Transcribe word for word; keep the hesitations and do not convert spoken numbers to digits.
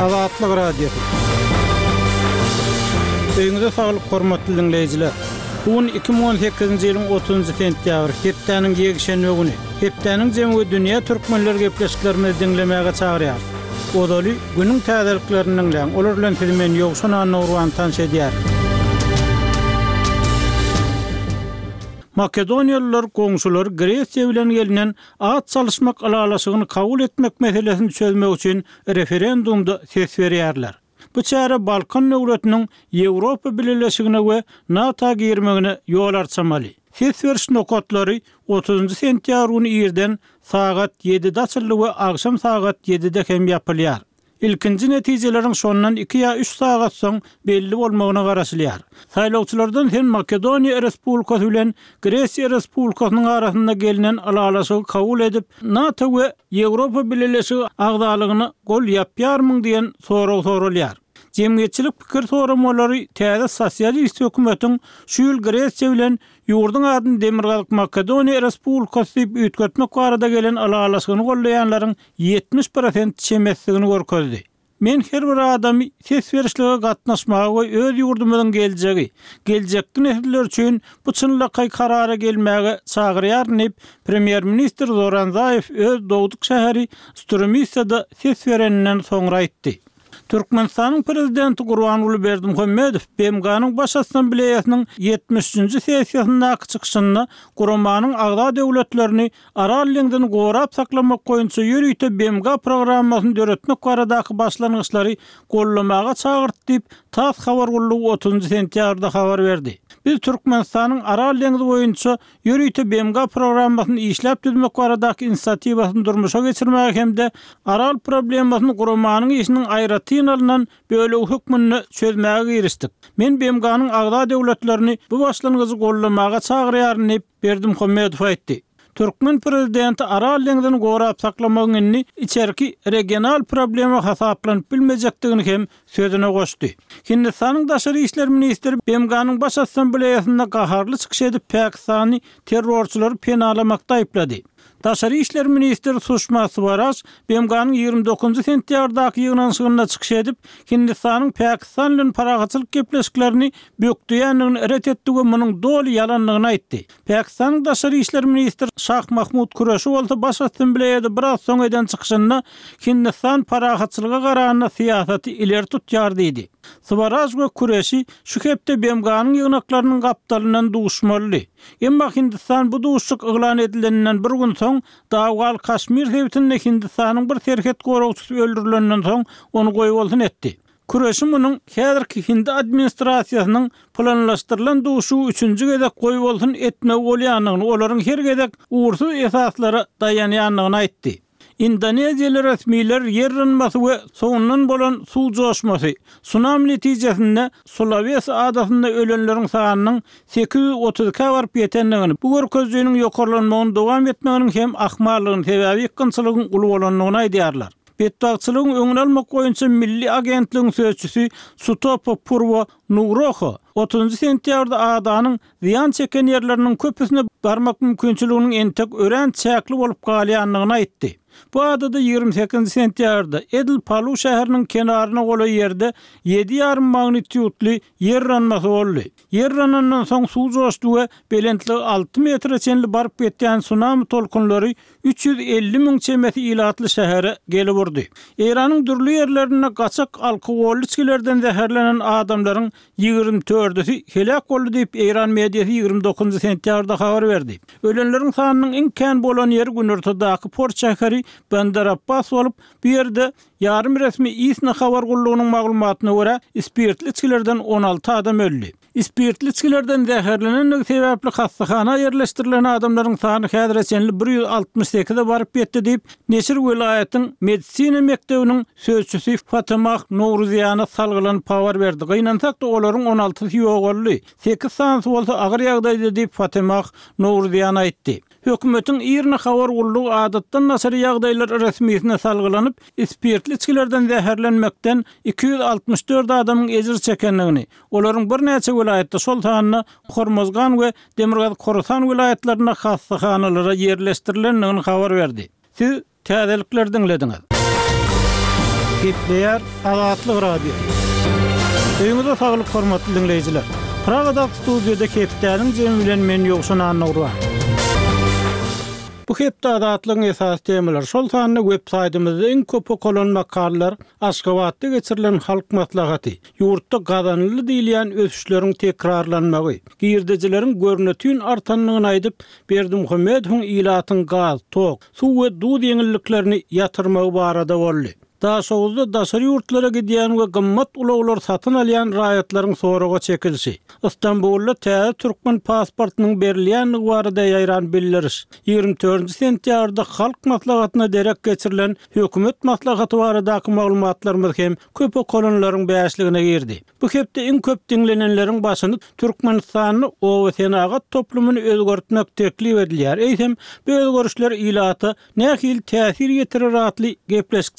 Azatlyk Radiosy. Öýüňize saglyk hormatly dinleýjiler. Bu gün iki müň on sekizinji ýylyň otuzynjy sentýabr, hepdäniň ýekşenbe güni. Hepdäniň jemi we dünýä türkmenler gepleşiklerimizi diňlemäge çagyrýar. Ozaly günüň täzeliklerini diňläň. Olar bilen sizi men Ýowşan Annagurban tanyş edýär. Makedoniýalylar goňşular Gresiýa bilen gelinen at çalyşmak ylalaşygyny kabul etmek meselesini çözmek üçin referendumda ses berýärler. Bu çäre Balkan döwletiniň Ýewropa Bileleşigine we NATO girmegine ýol açmaly. Ses beriş nokatlary otuzynjy sentýabr güni irden sagat ýedide açyldy we agşam sagat ýedide hem ýapylýar. Ilkinji netijeleriň şondan iki ýa üç sagat soň belli bolmagyna garaşylýar. Saýlawçylardan hem Makedoniýa Respublikasy bilen Gresiýa Respublikasynyň arasynda gelinen ylalaşygy kabul edip, NATO we Ýewropa Bileleşigi agzalygyna gol ýapýarmyň diýen sorag sorulýar. Jemgyýetçilik pikir soramalary täze sosialist hökümetiň şu ýyl Gresiýa bilen ýurduň adyny Demirgazyk Makedoniýa Respublikasy diýip üýtgetmek barada gelen ylalaşygyny gollaýanlaryň ýetmiş prosent çemesdigini görkezdi. Men her bir adamy ses berişlige gatnaşmaga we öz ýurdumyzyň geljegi, geljekki nesiller üçin bu çynlakaý karara gelmäge çagyrýaryn diýip, premýer-ministr Zoran Zaýew öz dogduk şäheri Strumisada ses bereninden soňra aýtdy. Türkmenistanyň prezidenti Gurbanguly Berdimuhamedow B M G-nyň Baş Assambleýasynyň ýetmiş üçünji sessiýasyndaky çykyşynda guramanyň agza döwletlerini Aral deňzini gorap saklamak boýunça ýörite B M G programmasyny döretmek baradaky başlangyçlary gollamaga çagyrdy diýip, TASS habar gullugy otuzynjy sentýabrda habar berdi. Biz Türkmenistanyň Aral deňzi boýunça ýörite B M G programmasyny işläp düzmek baradaky inisiatiwasyny durmuşa geçirmäge hem-de Aral problemasyny guramanyň işiniň aýratyn alynan bölegi hökmünde çözmäge girişdik. Men B M G-nyň agza döwletlerini bu başlangyjy gollamaga çagyrýaryn diýip, Berdimuhamedow aýtdy. Türkmen prezidenti Aral deňzini gorap saklamagyň indi içerki regional problema hasaplanyp bilmejekdigini hem sözüne goşdy. Hindistanyň daşary işler ministri B M G-nyň Baş Assambleýasynda gaharly çykyş edip Pakistany terrorçylary penalamakda aýyplady. Daşary işler ministri Suşma Swaraj B M G-nyň ýigrimi dokuzynjy sentýabrdaky ýygnanyşygynda çykyş edip, Hindistanyň Pakistan bilen parahatçylyk gepleşiklerini bökdeýändigini ret etdi we munuň doly ýalandygyny aýtdy. Pakistanyň daşary işler ministri Şah Mahmud Kureşi bolsa Baş Assambleýada biraz soň eden çykyşynda Hindistan parahatçylyga garanda syýasaty ileri tutýar diýdi. Swaraj we Kureşi şu hepde B M G-nyň ýygnaklarynyň gapdalyndan duşmalydy. Emma Hindistan bu duşuşyk yglan edileninden bir gün soň Dawgal Kaşmir sebitinde Hindistanyň bir serhet goragçysy öldürilenden soň ony goýbolsun etdi. Kureşi munuň häzirki Hindi administrasiýasynyň planlaşdyrylan duşuşygy üçünji gezek goýbolsun etmegi bolýandygyny, olaryň her gezek uğursuz esaslara daýanýandygyny aýtdy. Indoneziýaly resmiler ýer ynmasy we soňundan bolan suw joşmasy, tsunami netijesinde Sulawesi adasynda ölenleriň sanynyň sekiz ýüz otuz ikä baryp ýetendigini, bu görkezijiniň ýokarlanmagyny dowam etmeginiň hem ahmallygyny sebäbi ýykgynçylygyň uly bolandygyny aýdýarlar. Betbagtçylygyň öňüni almak boýunça Milli agentligiň sözçüsi Sutopo Purwo Nugroho otuzynjy sentýabrda adanyň zyýan çeken ýerleriniň köpüsine barmak mümkinçiliginiň entek örän çäkli bolup galýandygyny aýtdy. Bu adada ýigrimi sekizinji sentýabrda Edil Palu şäheriniň kenaryna golaý ýerde ýedi ýarym magnitudly ýer yranmasy boldy. Ýer yranandan soň suw joşdy we belentligi alty metre çenli baryp ýetýän tsunami tolkunlary üç ýüz elli müň çemesi ilatly şähere gelip urdy. Eýranyň dürli ýerlerinde gaçak alkogolly içgilerden zäherlenen adamlaryň ýigrimi dördüsi helak boldy diýip Eýran mediasy ýigrimi dokuzynjy sentýabrda habar berdi. Ölenleriň sanynyň iň kän bolan ýeri günortadaky port şäheri Bandar Abbas bolup, bu ýerde ýarym resmi ISNA habar gullugynyň maglumatyna görä spirtli içgilerden on alty adam öldi. Spirtli içgilerden zäherlenenligi sebäpli hastahana ýerleşdirilen adamlaryň sany häzire çenli bir ýüz altmyş sekize baryp ýetdi diýip, Neşir welaýatyň medisina mekdebiniň sözçüsi Fatimah Nowruzyýana salgylanyp habar berdi. Gynansak-da olaryň on altysy ýogaldy. Sekiz sanysy bolsa agyr ýagdaýda diýip Fatimah Nowruzyýana aýtdy. Hökümetiň IRNA habar gullugy adatdan daşary ýagdaýlar resmisine salgylanyp, spirtli içgilerden zäherlenmekden iki ýüz altmyş dört adamyň ejir çekendigini, olaryň birnäçe welaýatda, şol sanda Hormozgan we Demirgazyk Horasan welaýatlarynda hastahanalara ýerleşdirilendigini habar berdi. Siz täzelikler diňlediňiz. Gepleýär Azatlyk Radiosy. Öýüňize saglyk hormatly diňleýjiler. Pragadaky studiýada hepdäniň jemi bilen men Ýowşan Annagurban. Bu hepde Azatlygyň esasy temalary şol sanda web saýtymyzda iň köp okalan makalalar Aşgabatda geçirilen halk maslahaty, ýurtda gazanyldy diýilýän ösüşleriň tekrarlanmagy, girdejileriň görnütün artanlygyny aýdyp, Berdimuhamedowyň ilatyň gaz, tok, suw we duz ýeňilliklerini ýatyrmagy barada boldy. Daşoguzda daşary ýurtlara gidýän we gymmat ulaglar satyn alýan raýatlaryň soraga çekilişi. Istanbulda täze türkmen pasportynyň berilýänligi barada ýaýran bildiriş. Ýigrimi dördünji sentýabrda halk maslahatyna derek geçirilen hökümet maslahaty baradaky maglumatlarymyz hem köp okalanlaryň bäşligine girdi. Bu hepde iň köp diňlenenleriň başyny Türkmenistanda oba senagat toplumyny özgertmek teklip edilýär. Eýsem, bu özgerişler ilata nähili täsir ýetirer atly gepleşik